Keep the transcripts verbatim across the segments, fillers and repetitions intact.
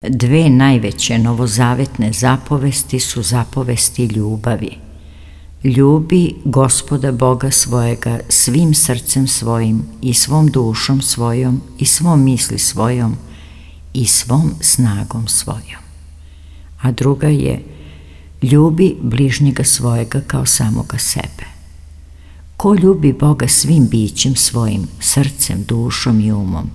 Dve najveće novozavetne zapovesti su zapovesti ljubavi. Ljubi Gospoda Boga svojega svim srcem svojim i svom dušom svojom i svom misli svojom i svom snagom svojom. A druga je ljubi bližnjega svojega kao samoga sebe. Ko ljubi Boga svim bićem svojim, srcem, dušom i umom,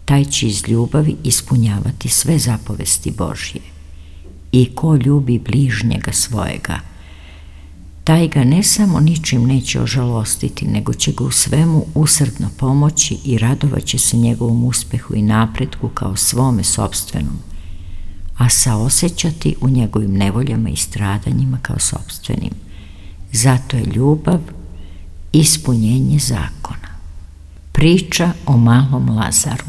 taj će iz ljubavi ispunjavati sve zapovesti Božje. I ko ljubi bližnjega svojega, taj ga ne samo ničim neće ožalostiti, nego će ga u svemu usrdno pomoći i radovaće se njegovom uspehu i napretku kao svome sopstvenom, a saosećati u njegovim nevoljama i stradanjima kao sopstvenim. Zato je ljubav ispunjenje zakona. Priča o malom Lazaru.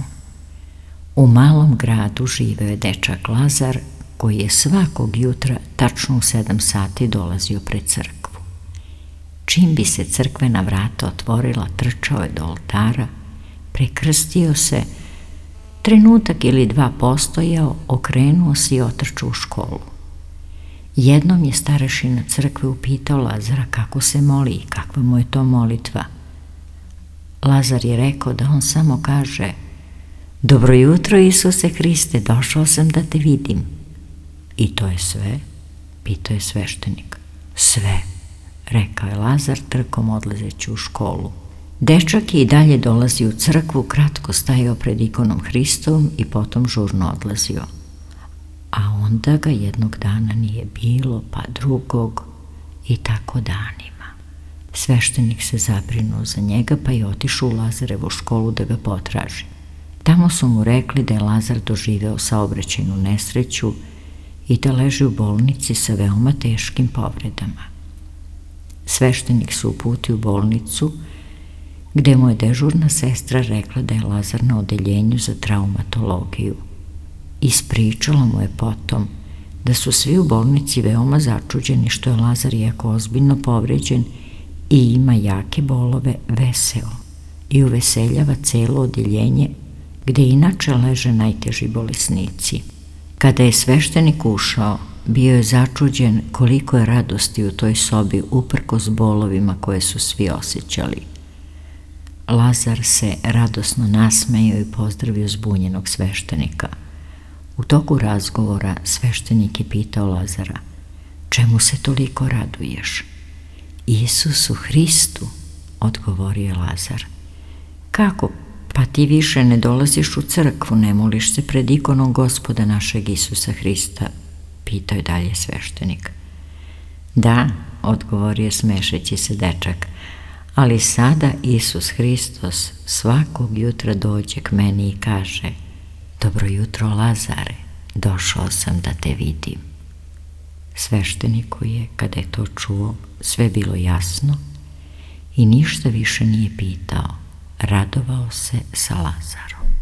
U malom gradu živeo je dečak Lazar, koji je svakog jutra tačno u sedam sati dolazio pred crkvu. Čim bi se crkvena vrata otvorila, trčao je do oltara, prekrstio se, trenutak ili dva postojao, okrenuo se i otrčao u školu. Jednom je starešina crkve upitao Lazara kako se moli i kakva mu je to molitva. Lazar je rekao da on samo kaže: "Dobro jutro, Isuse Hriste, došao sam da te vidim." "I to je sve?" pitao je sveštenik. "Sve," rekao je Lazar, trkom odlazeći u školu. Dečak je i dalje dolazio u crkvu, kratko stajao pred ikonom Hristovom i potom žurno odlazio. A onda ga jednog dana nije bilo, pa drugog, i tako danima. Sveštenik se zabrinuo za njega, pa je otišao u Lazarevu školu da ga potraži. Tamo su mu rekli da je Lazar doživeo saobraćajnu nesreću i da leži u bolnici sa veoma teškim povredama. Sveštenik se uputio u bolnicu, gde mu je dežurna sestra rekla da je Lazar na odeljenju za traumatologiju. Ispričala mu je potom da su svi u bolnici veoma začuđeni što je Lazar, iako ozbiljno povređen i ima jake bolove, veseo i uveseljava celo odeljenje, gde inače leže najteži bolesnici. Kada je sveštenik ušao, bio je začuđen koliko je radosti u toj sobi uprkos bolovima koje su svi osjećali. Lazar se radosno nasmejao i pozdravio zbunjenog sveštenika. U toku razgovora sveštenik je pitao Lazara: "Čemu se toliko raduješ?" "Isusu Hristu," odgovorio je Lazar. "Kako? Pa ti više ne dolaziš u crkvu, ne moliš se pred ikonom Gospoda našeg Isusa Hrista?" pitao je dalje sveštenik. "Da," odgovorio smešeći se dečak, "ali sada Isus Hristos svakog jutra dođe k meni i kaže: Dobro jutro, Lazare, došao sam da te vidim." Svešteniku je, kada je to čuo, sve bilo jasno i ništa više nije pitao. Radovao se sa Lazarom.